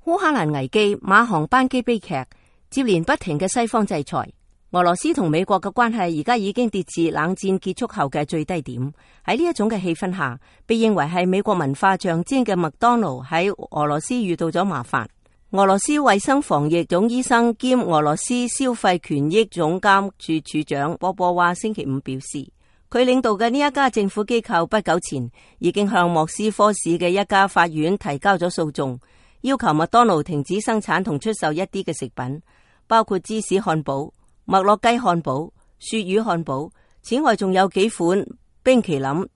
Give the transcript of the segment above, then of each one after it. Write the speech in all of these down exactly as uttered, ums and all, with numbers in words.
烏克蘭危機、馬航班機悲劇，接連不停嘅西方制裁，俄羅斯同美國嘅關係而家已經跌至冷戰結束後嘅最低點。喺呢一種嘅氣氛下，被認為係美國文化象徵嘅麥當勞喺俄羅斯遇到咗麻煩。俄羅斯衛生防疫總醫生兼俄羅斯消費權益總監處處長波波娃星期五表示，佢領導嘅呢一家政府機構不久前已經向莫斯科市嘅一家法院提交咗訴訟，要求麥當勞停止生產同出售一啲嘅食品，包括芝士漢堡、麥樂雞漢堡、鱈魚漢堡，此外仲有幾款冰淇淋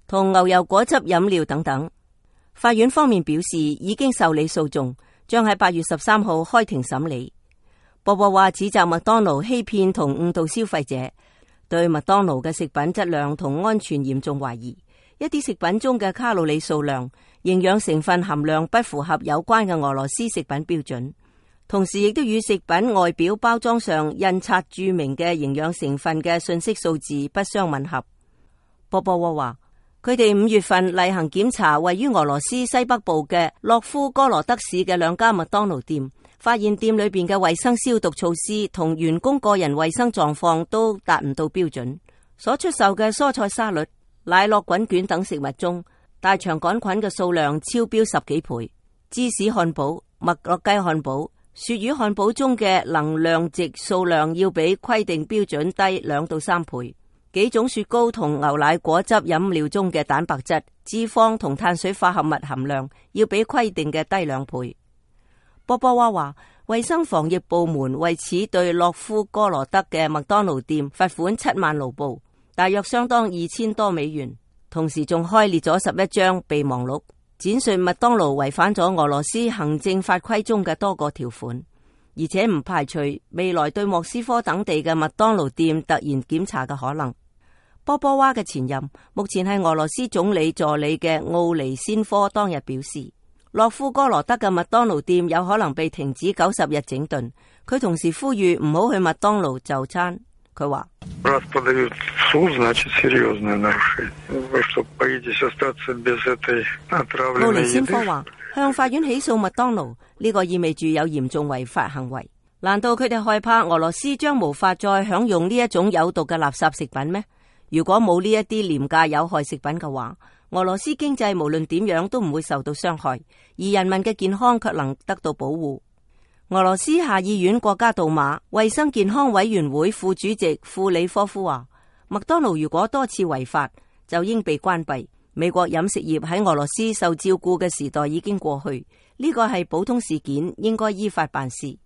同牛油果汁飲料等等。法院方面表示已經受理訴訟，將喺八月十三號開庭審理。波波娃指責麥當勞欺騙同誤導消費者，對麥當勞嘅食品質量同安全嚴重懷疑，一啲食品中嘅卡路里數量、營養成分含量不符合有關嘅俄羅斯食品標準，同時亦都與食品外表包裝上印刷注明嘅營養成分嘅信息數字不相吻合。波波娃話，佢哋五月份例行檢查位於俄羅斯西北部嘅洛夫哥羅德市嘅兩家麥當勞店，發現店裏邊嘅衛生消毒措施同員工個人衛生狀況都達唔到標準。所出售嘅蔬菜沙律、奶酪滾卷等食物中，大腸桿菌嘅數量超標十幾倍。芝士漢堡、麥樂雞漢堡、鱈魚漢堡中嘅能量值數量要比規定標準低兩到三倍。幾種雪糕同牛奶果汁飲料中嘅蛋白質、脂肪同碳水化合物含量要比規定嘅低兩倍。波波娃話，衛生防疫部門為此對洛夫哥羅德嘅麥當勞店罰款七萬盧布，大約相當二千多美元，同時仲開列咗十一張備忘錄，展述麥當勞違反咗俄羅斯行政法規中嘅多個條款，而且唔排除未來對莫斯科等地嘅麥當勞店突然檢查嘅可能。波波娃嘅前任，目前係俄羅斯總理助理嘅奧尼先科當日表示，洛夫哥羅德嘅麥當勞店有可能被停止九十日整頓。佢同時呼籲唔好去麥當勞就餐。佢話：奧尼先科話，向法院起訴麥當勞，呢個意味住有嚴重違法行為。難道佢哋害怕俄羅斯將無法再享用呢一種有毒嘅垃圾食品咩？如果冇呢一啲廉價有害食品嘅話，俄羅斯經濟無論點樣都唔會受到傷害，而人民嘅健康卻能得到保護。俄羅斯下議院國家杜馬衛生健康委員會副主席庫里科夫話，麥當勞如果多次違法，就應被關閉。美國飲食業喺俄羅斯受照顧嘅時代已經過去，呢個係普通事件，應該依法辦事。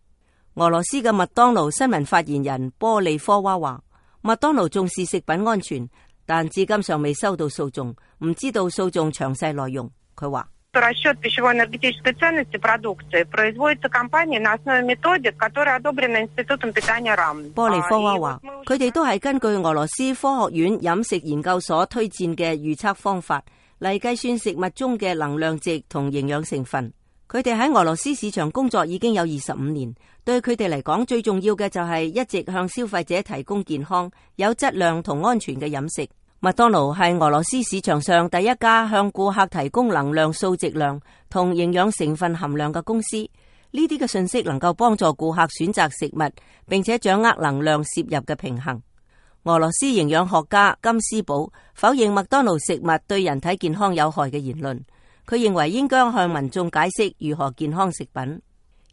俄羅斯嘅麥當勞新聞發言人波利科娃話，麥當勞重視食品安全，但至今尚未收到訴訟，唔知道訴訟詳細內容。佢話，波利科娃話，佢哋都係根據俄羅斯科學院飲食研究所推薦嘅預測方法嚟計算食物中嘅能量值同營養成分。佢哋喺俄羅斯市場工作已經有二十五年，對佢哋嚟講最重要嘅就係一直向消費者提供健康、有質量同安全嘅飲食。麥當勞係俄羅斯市場上第一家向顧客提供能量數值量同營養成分含量嘅公司。呢啲嘅信息能夠幫助顧客選擇食物，並且掌握能量攝入嘅平衡。俄羅斯營養學家金斯堡否認麥當勞食物對人體健康有害嘅言論。佢認為應該向民眾解釋如何健康食品。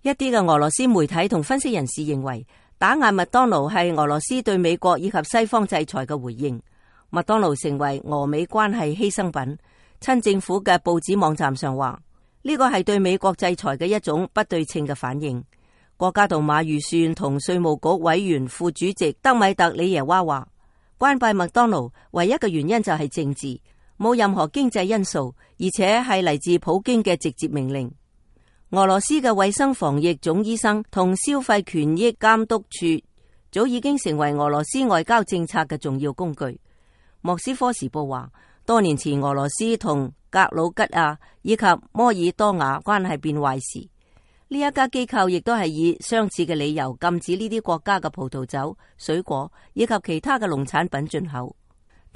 一啲嘅俄羅斯媒體同分析人士認為，打壓麥當勞係俄羅斯對美國以及西方制裁嘅回應。麥當勞成為俄美關係犧牲品。親政府嘅報紙網站上話，呢個係對美國制裁嘅一種不對稱嘅反應。國家杜馬預算同稅務局委員副主席德米特里耶娃話，關閉麥當勞唯一嘅原因就係政治，冇任何經濟因素，而且係嚟自普京嘅直接命令。俄羅斯嘅衛生防疫總醫生同消費權益監督處早已經成為俄羅斯外交政策嘅重要工具。莫斯科時報話，多年前俄羅斯同格魯吉亞以及摩爾多瓦關係變壞時，呢一家機構亦都係以相似嘅理由禁止呢啲國家嘅葡萄酒、水果以及其他嘅農產品進口。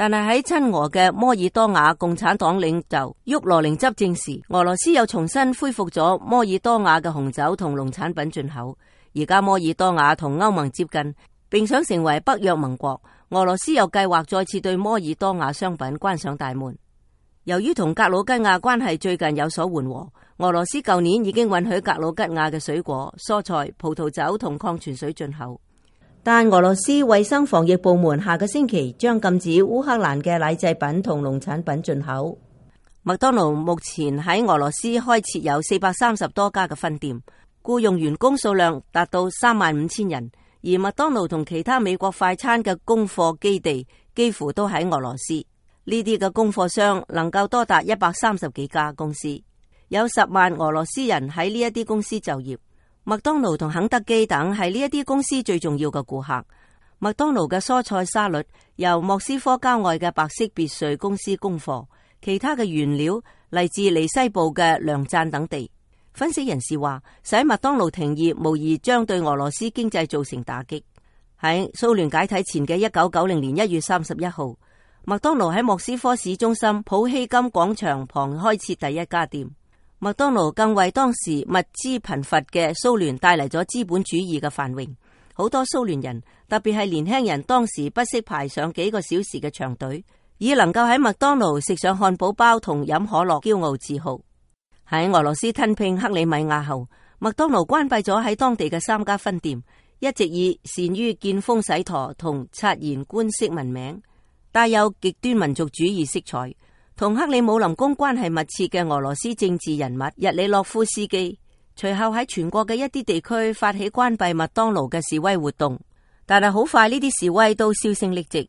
但係喺親俄嘅摩爾多瓦共產黨領袖沃羅寧執政時，俄羅斯又重新恢復咗摩爾多瓦嘅紅酒同農產品進口。而家摩爾多瓦同歐盟接近，並想成為北約盟國，俄羅斯又計劃再次對摩爾多瓦商品關上大門。由於同格魯吉亞關係最近有所緩和，俄羅斯舊年已經允許格魯吉亞嘅水果、蔬菜、葡萄酒同礦泉水進口。但俄羅斯衛生防疫部門下個星期將禁止烏克蘭嘅奶製品同農產品進口。麥當勞目前喺俄羅斯開設有四百三十多家嘅分店，僱用員工數量達到三萬五千人，而麥當勞同其他美國快餐嘅供貨基地幾乎都喺俄羅斯。呢啲嘅供貨商能夠多達一百三十幾家公司，有十萬俄羅斯人喺呢一啲公司就業。麥當勞同肯德基等係呢一啲公司最重要嘅顧客。麥當勞嘅蔬菜沙律由莫斯科郊外嘅白色別墅公司供貨，其他嘅原料嚟自離西部嘅梁贊等地。分析人士話，使麥當勞停業無疑將對俄羅斯經濟造成打擊。喺蘇聯解體前嘅一九九零年一月三十一號，麥當勞喺莫斯科市中心普希金廣場旁開設第一家店。麥當勞更為當時物資貧乏嘅蘇聯帶嚟咗資本主義嘅繁榮。好多蘇聯人，特別係年輕人，當時不惜排上幾個小時嘅長隊，以能夠喺麥當勞食上漢堡包同飲可樂驕傲自豪。喺俄羅斯吞併克里米亞後，麥當勞關閉咗喺當地嘅三家分店，一直以善於見風使舵同察言觀色聞名，帶有極端民族主義色彩。同克里姆林宮關係密切嘅俄羅斯政治人物日里諾夫斯基，隨後喺全國嘅一啲地區發起關閉麥當勞嘅示威活動，但係好快呢啲示威都銷聲匿跡。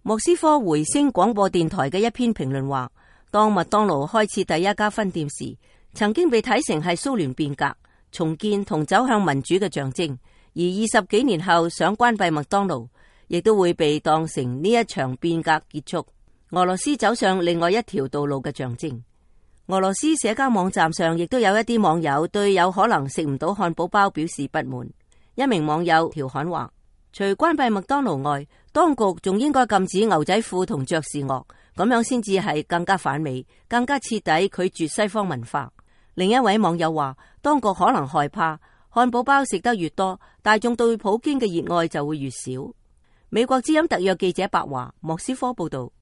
莫斯科回聲廣播電台嘅一篇評論話，當麥當勞開設第一家分店時，曾經被睇成係蘇聯變革、重建同走向民主嘅象徵，而二十幾年後想關閉麥當勞，亦都會被當成呢一場變革結束，俄羅斯走上另外一條道路嘅象徵。俄羅斯社交網站上亦都有一啲網友對有可能食唔到漢堡包表示不滿。一名網友調侃話，除關閉麥當勞外，當局仲應該禁止牛仔褲同爵士樂，咁樣先至係更加反美，更加徹底拒絕西方文化。另一位網友話，當局可能害怕漢堡包食得越多，大眾對普京嘅熱愛就會越少。美國之音特約記者白華，莫斯科報道。